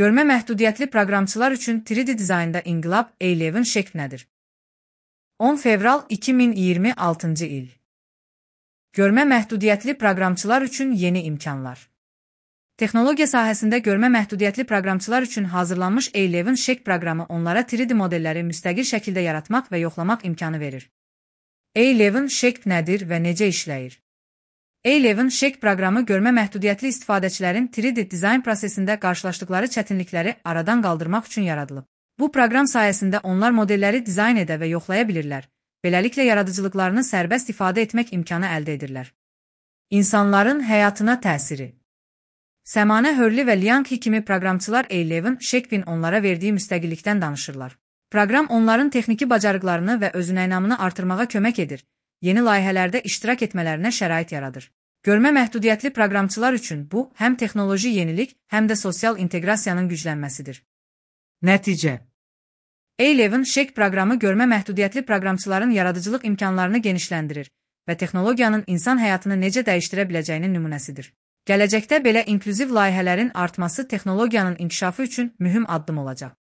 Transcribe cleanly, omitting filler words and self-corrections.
Görmə məhdudiyyətli proqramçılar üçün 3D dizaynda inqilab A11 şekl nədir? 10 fevral 2026 il. Görmə məhdudiyyətli proqramçılar üçün yeni imkanlar. Texnologiya sahəsində görmə məhdudiyyətli proqramçılar üçün hazırlanmış A11 şekl proqramı onlara 3D modelləri müstəqil şəkildə yaratmaq və yoxlamaq imkanı verir. A11 şekl nədir və necə işləyir? A11 şekl proqramı görmə məhdudiyyətli istifadəçilərin 3D dizayn prosesində qarşılaşdıqları çətinlikləri aradan qaldırmaq üçün yaradılıb. Bu proqram sayəsində onlar modelləri dizayn edə və yoxlaya bilirlər. Beləliklə yaradıcılıqlarını sərbəst ifadə etmək imkanı əldə edirlər. İnsanların həyatına təsiri. Səmanə Hörli və Liang kimi proqramçılar A11 şeklin onlara verdiyi müstəqillikdən danışırlar. Proqram onların texniki bacarıqlarını və özünəynamını artırmağa kömək edir. Yeni layihələrdə iştirak etmələrinə şərait yaradır. Görmə məhdudiyyətli proqramçılar üçün bu, həm texnoloji yenilik, həm də sosial inteqrasiyanın güclənməsidir. Nəticə. A11 şekl proqramı görmə məhdudiyyətli proqramçıların yaradıcılıq imkanlarını genişləndirir və texnologiyanın insan həyatını necə dəyişdirə biləcəyinin nümunəsidir. Gələcəkdə belə inklüziv layihələrin artması texnologiyanın inkişafı üçün mühüm addım olacaq.